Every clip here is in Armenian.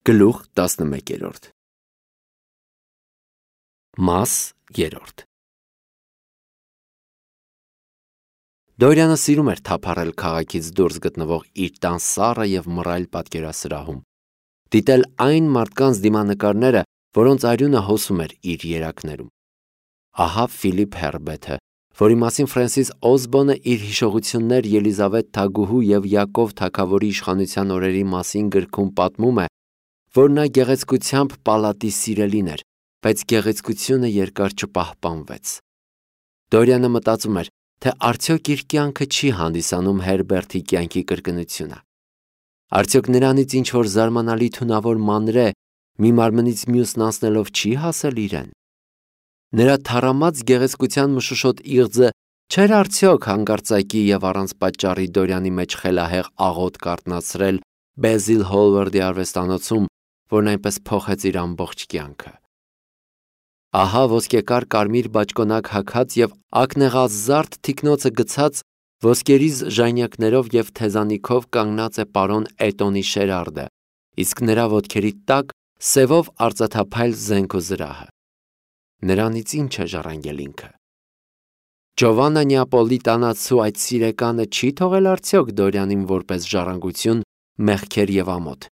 Գլուխ 11 Մաս 3 Դորյանը սիրում էր թափառել քաղաքից դուրս գտնվող իր տան սառը և մռայլ պատկերասրահում, դիտել այն մարդկանց դիմանկարները, որոնց արյունը հոսում էր իր երակներում։ Ահա Ֆիլիպ Հերբեթը, որի մասին Ֆրենսիս Օզբոնը իր հիշողություններ Ելիզավեթ Թագուհու և Յակով Թագավորի իշխանության օրերի մասին գրքում պատմում է, որ նա գեղեցկությամբ պալատի սիրելին էր, բայց գեղեցկությունը երկար չպահպանվեց։ Դորյանը մտածում էր, թե արդյոք իր կյանքը չի հանդիսանում Հերբերտի կյանքի կրկնությունը։ Արդյոք նրանից ինչ-որ զարմանալի թունավոր մանրե մի մարմնից մյուսն անցնելով չի հասել իրեն։ Նրա թառամած գեղեցկության մշուշոտ իղձը չէր արդյոք հանկարծակի և առանց պատճառի Դորյանի մեջ խելահեղ աղոթք արթնացրել Բեզիլ Հոլվարդի արվեստանոցում, որն այնպես փոխեց իր ամբողջ կյանքը։ Ահա ոսկեկար կարմիր բաճկոնակ հագած և ակնեղազարդ թիկնոցը գցած ոսկերիզ ժանյակներով և թեզանիքով կանգնած է պարոն Էտոնի Շերարդը, իսկ նրա ոտքերի տակ սևով արծաթափայլ զենք ու զրահը։ Նրանից ինչ է ժառանգել ինքը։ Ջովաննա Նեապոլիտանացու այդ սիրեկանը չի թողել արդյոք Դորյանին որպես ժառանգություն մեղքեր և ամոթ։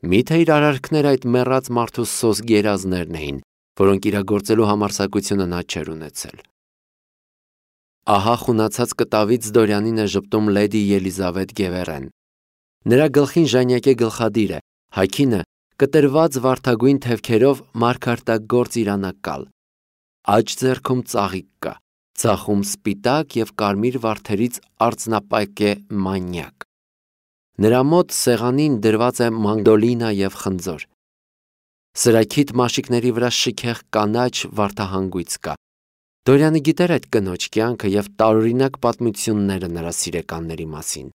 Միթե իր արարքները այդ մեռած մարդու սոսկ երազներն էին, որոնք իրագործելու համարձակությունը նա չէր ունեցել։ Ահա խունացած կտավից Դորյանին է ժպտում լեդի Ելիզավեթ Գևերեն։ Նրա գլխին ժանյակ է գլխադիրը, հագինը կտրված վարդագույն թևքերով մարգարտագործ իրանակալ։ Աջ ձեռքում ծաղիկ կա, ձախում սպիտակ և կարմիր վարդերից արծնապայք է մանյակ։ Նրա մոտ սեղանին դրված է մանդոլինա և խնձոր։ Սրաքիթ մաշիկների վրա շքեղ կանաչ վարդահանգույց կա։ Դորյանը գիտեր այդ կնոջ կյանքը և տարօրինակ պատմությունները նրա սիրեկանների մասին։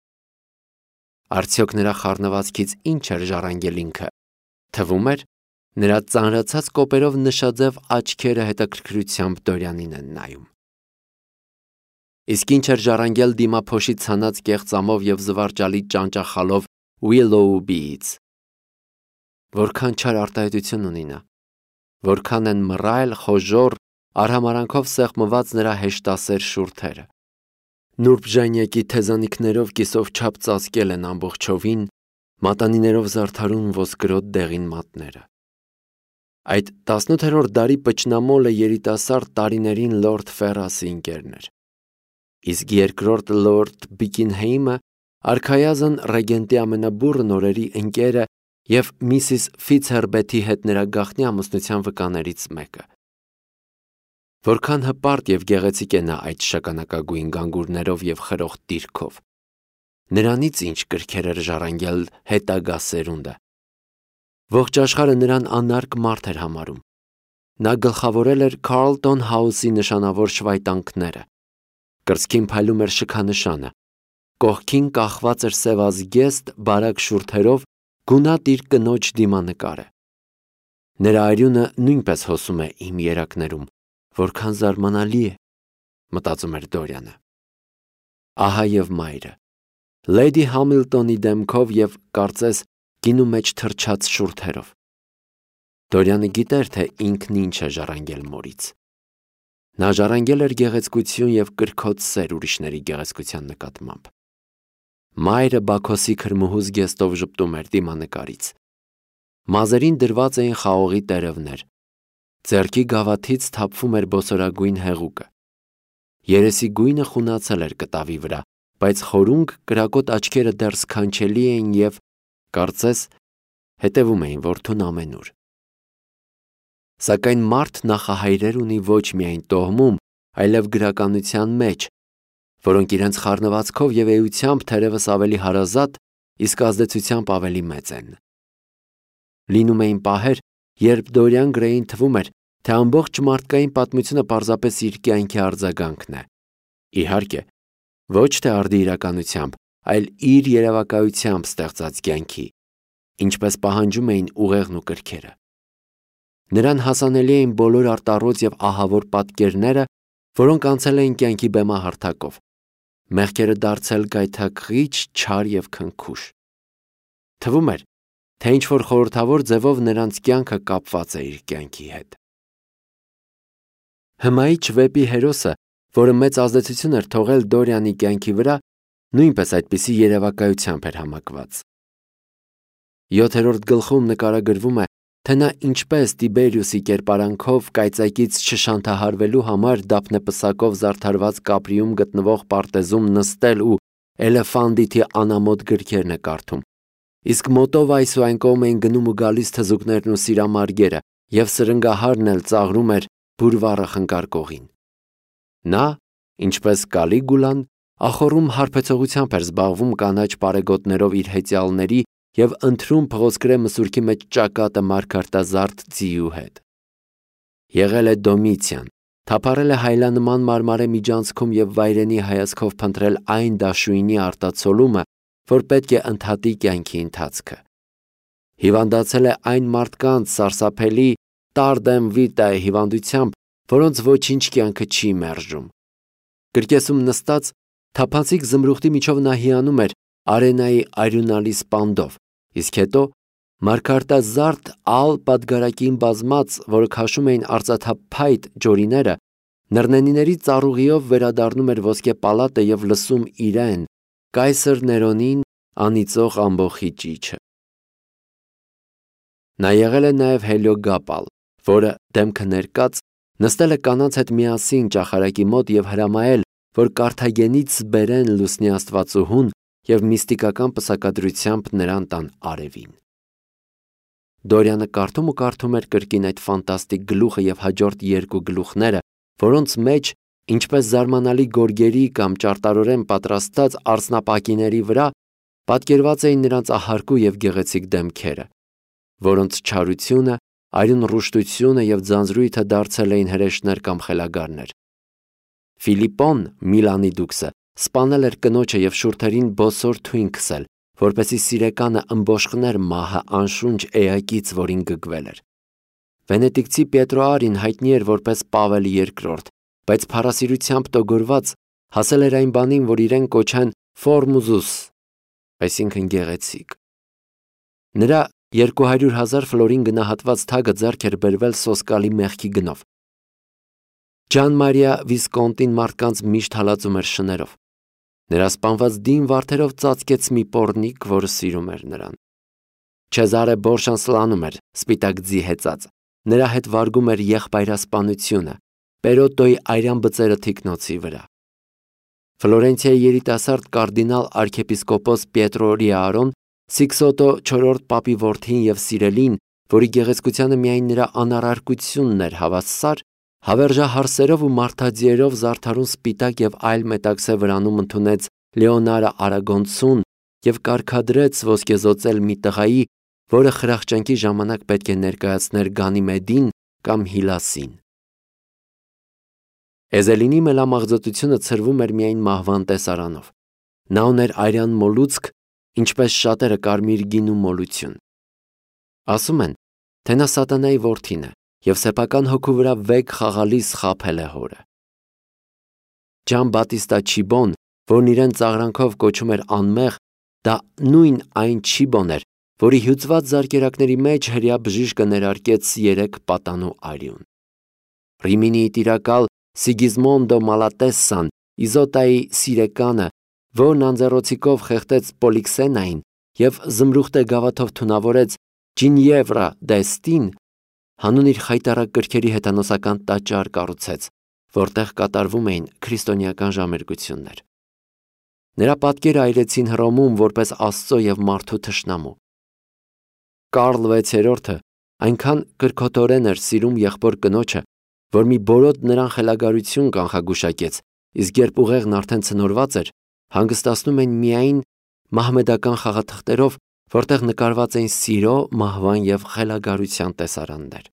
Արդյոք նրա խառնվածքից ինչ էր ժառանգել ինքը։ Թվում էր, նրա ծանրացած կոպերով նշաձև աչքերը հետաքրքրությամբ Դորյանին են նայում։ Իսկ ինչ էր ժառանգել դիմափոշի ցանած կեղծամով և զվարճալի ճանճախալով Ուիլլոուբիից։ Որքան չար արտահայտություն ունի նա, որքան են մռայլ, խոժոռ, արհամարանքով սեղմված նրա հեշտասեր շուրթերը։ Նուրբ ժանյակի թեզանիքներով կիսով չափ ծածկել են ամբողջովին, մատանիներով զարդարուն ոսկրոտ դեղին մատները։ Այդ 18-րդ դարի պճնամոլը երիտասարդ տարիներին լորդ Ֆերրասի ընկերն էր։ Իսկ երկրորդ լորդ Բիկինհեյմը արքայազն ռեգենտի ամենաբուռն օրերի ընկերը և Միսիս Ֆիցհերբեթի հետ նրա գաղտնի ամուսնության վկաներից մեկը։ Որքան հպարտ և գեղեցիկ է նա այդ շագանակագույն գանգուրներով և խրոխտ դիրքով։ Նրանից ինչ կրքեր էր ժառանգել հետագա սերունդը։ Ողջ աշխարհը նրան անարգ մարդ էր համարում։ Նա գլխավորել էր Քարլտոն Հաուսի նշանավոր շվայտանքները։ Կրծքին փայլում էր շքանշանը։ Կողքին կախված էր սևազգեստ բարակ շուրթերով գունատ իր կնոջ դիմանկարը։ Նրա արյունը նույնպես հոսում է իմ երակներում, որքան զարմանալի է, մտածում էր Դորյանը։ Ահա և մայրը, լեդի Համիլտոնի դեմքով և կարծես գինու մեջ թրջած շուրթերով։ Դորյանը գիտեր, թե ինքն ինչ է ժառանգել մորից։ Նա ժառանգել էր գեղեցկություն և կրքոտ սեր ուրիշների գեղեցկության նկատմամբ։ Մայրը Բաքոսի քրմուհու զգեստով ժպտում էր դիմանկարից։ Մազերին դրված էին խաղողի տերևներ։ Ձեռքի գավաթից թափվում էր բոսորագույն հեղուկը։ Երեսի գույնը խունացել էր կտավի վրա, բայց խորունգ կրակոտ աչքերը դեռ սքանչելի էին և, կարծես, հետևում էին որդուն ամենուր։ Սակայն մարդ նախահայրեր ունի ոչ միայն տոհմում, այլև գրականության մեջ, որոնք իրենց խառնվածքով և էությամբ թերևս ավելի հարազատ, իսկ ազդեցությամբ ավելի մեծ են։ Լինում էին պահեր, երբ Դորիան Գրեյին թվում էր, թե ամբողջ մարդկային պատմությունը պարզապես իր կյանքի արձագանքն է։ Իհարկե, ոչ թե արդի իրականությամբ, այլ իր երևակայությամբ ստեղծած կյանքի, ինչպես պահանջում էին ուղեղն ու կրքերը։ Նրան հասանելի էին բոլոր արտառոց և ահավոր պատկերները, որոնք անցել էին կյանքի բեմահարթակով, մեղքերը դարձել գայթակղիչ, չար և քնքուշ։ Թվում էր, թե ինչ-որ խորհրդավոր ձևով նրանց կյանքը կապված է իր կյանքի հետ։ Հմայիչ վեպի հերոսը, որը մեծ ազդեցություն էր թողել Դորիանի կյանքի վրա, նույնպես այդպիսի երևակայությամբ էր համակված։ 7-րդ գլխում նկարագրվում է, թե նա ինչպես Տիբերիուսի կերպարանքով կայծակից չշանթահարվելու համար դափնեպսակով զարդարված կապրիում գտնվող պարտեզում նստել ու Էլեֆանդիտի անամոթ գրքերն է կարդում, իսկ մոտով այս ու այն կողմ էին գնում ու գալիս թզուկներն ու սիրամարգերը, և սրնգահարն էլ ծաղրում էր բուրվառը խնկարկողին։ Նա, ինչպես Կալիգուլան, ախոռում հարբեցողությամբ էր զբաղվում կանաչ պարեգոտներով իր հեծյալների և ընթրում փղոսկրե մսուրքի մեջ ճակատը մարգարտազարդ ձիու հետ։ Եղել է Դոմիցիան, թափառել է հայլանման մարմարե միջանցքում և վայրենի հայացքով փնտրել այն դաշույնի արտացոլումը, որ պետք է ընդհատի կյանքի ընթացքը։ Հիվանդացել է այն մարդկանց սարսափելի տարդեմ վիտայ հիվանդությամբ, որոնց ոչինչ կյանքը չի մերժում։ Կրկեսում նստած, թափանցիկ զմրուխտի միջով նա հիանում էր արենայի արյունալի սպանդով, իսկ հետո մարգարտազարդ ալ պատգարակին բազմած, որը քաշում էին արծաթափայտ ջորիները, նռնենիների ծառուղիով վերադառնում էր ոսկե պալատը և լսում իրեն, կայսր Ներոնին, անիծող ամբոխի ճիչը։ Նա եղել է նաև Հելիոգապալ, որը, դեմքը ներկած, նստել է կանանց հետ միասին ճախարակի մոտ և հրամայել, որ Կարթագենից բերեն լուսնի աստվածուհուն և միստիկական պսակադրությամբ նրան տան արևին։ Դորյանը կարդում ու կարդում էր կրկին այդ ֆանտաստիկ գլուխը և հաջորդ երկու գլուխները, որոնց մեջ, ինչպես զարմանալի գորգերի կամ ճարտարորեն պատրաստած արծնապակիների վրա, պատկերված էին նրանց ահարկու և գեղեցիկ դեմքերը, որոնց չարությունը, արյուն ռուշտությունը և ձանձրույթը դարձել էին հրեշներ կամ խելագարներ։ Ֆիլիպոն, Միլանի դուքսը, սպանել էր կնոջը և շուրթերին բոսոր թույն քսել, որպեսզի սիրեկանը ըմբոշխներ մահը անշունչ էակից, որին գգվել էր։ Վենետիկցի Պետրոարին հայտնի էր որպես Պավել II, բայց փառասիրությամբ տոգորված հասել էր այն բանին, որ իրեն կոչեն Ֆորմուզուս, այսինքն գեղեցիկ։ Նրա 200,000 ֆլորին գնահատված թագը ձեռք էր բերվել սոսկալի մեղքի գնով։ Ջան Մարիա Վիսկոնտին մարդկանց միշտ հալածում էր շներով։ Նրա սպանված դին վարդերով ծածկեց մի պոռնիկ, որը սիրում էր նրան։ Չեզարե Բորշան սլանում էր, սպիտակ ձի հեծած։ Նրա հետ վարգում էր եղբայրասպանությունը, Պերոտոյի արյան բծերը թիկնոցի վրա։ Ֆլորենցիայի երիտասարդ կարդինալ արքեպիսկոպոս Պիետրո Ռիարոն, Սիքսոտո IV պապի որդին և սիրելին, որի գեղեցկությանը միայն նրա անառարկությունն էր հավասար, հավերժահարսերով ու մարդաձիերով զարդարուն սպիտակ և այլ մետաքսե վրանում ընդունեց Լեոնարը Արագոնցուն և կարգադրեց ոսկեզօծել մի տղայի, որը խրախճանքի ժամանակ պետք է ներկայացներ Գանիմեդին կամ Հիլասին։ Էզելինի մելամաղձոտությունը ցրվում էր միայն մահվան տեսարանով։ Նա ուներ արյան մոլուցք, ինչպես շատերը կարմիր գինու մոլություն։ Ասում են, թե նա սատանայի որդին է և սեփական հոգու վրա վեգ խաղալիս խաբել է հորը։ Ջան Բատիստա Չիբոն, որն իրեն ծաղրանքով կոչում էր անմեղ, դա նույն այն Չիբոն էր, որի հյուծված զարկերակների մեջ հրեա բժիշկը ներարկեց 3 պատանու արյուն։ Ռիմինիի տիրակալ Սիգիզմոնդո Մալատեսսան, Իզոտայի սիրեկանը, որն անձեռոցիկով խեղդեց Պոլիքսենային և զմրուխտե գավաթով թունավորեց Ջինևրա Դեստին, հանուն իր խայտառակ կրքերի հեթանոսական տաճար կառուցեց, որտեղ կատարվում էին քրիստոնեական ժամերգություններ։ Նրա պատկերը այրեցին Հռոմում որպես Աստծո և մարդու թշնամու։ Կարլ VI-ը այնքան կրքոտորեն էր սիրում եղբոր կնոջը, որ մի բորոտ նրան խելագարություն կանխագուշակեց, իսկ երբ ուղեղն արդեն ցնորված էր, հանգստացնում են միայն մահմեդական խաղաթղթերով, որտեղ նկարված էին սիրո, մահվան և խելագարության տեսարաններ։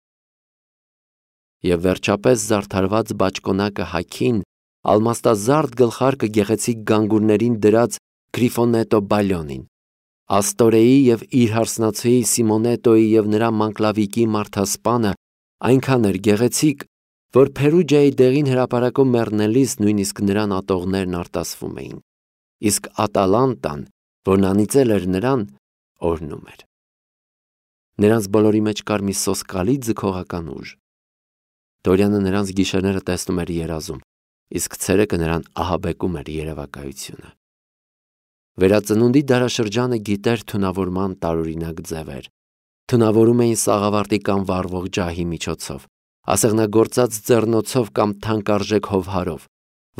Եվ վերջապես զարդարված բաճկոնակը հագին, ալմաստազարդ գլխարկը գեղեցիկ գանգուրներին դրած Գրիֆոնետո Բալյոնին, Աստորեի և իր հարսնացուի Սիմոնետոյի և նրա մանկլավիկի մարդասպանը այնքան էր գեղեցիկ, որ Փերուջայի դեղին հրապարակում մեռնելիս նույնիսկ նրան ատողներն արտասվում էին, իսկ Ատալանտան, որն անիծել էր նրան, օրհնում էր։ Նրանց բոլորի մեջ կար մի սոսկալի ձգողական ուժ։ Դորյանը նրանց գիշերները տեսնում էր երազում, իսկ ցերեկը նրան ահաբեկում էր երևակայությունը։ Վերածնունդի դարաշրջանը գիտեր թունավորման տարօրինակ ձևեր։ Թունավորում էին սաղավարտի կամ վառվող ջահի միջոցով, ասեղնագործած ձեռնոցով կամ թանկարժեք հովհարով,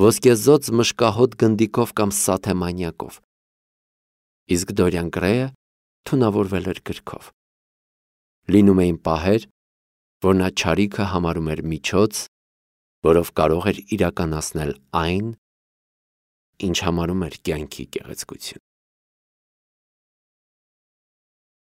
ոսկեզօծ մշկահոտ գնդիկով կամ սաթեմանյակով։ Իսկ Դորյան Գրեյը թունավորվել էր գրքով։ Լինում էին պահեր, որ նա չարիքը համարում էր միջոց, որով կարող էր իրականացնել այն, ինչ համարում էր կյանքի գեղեցկություն։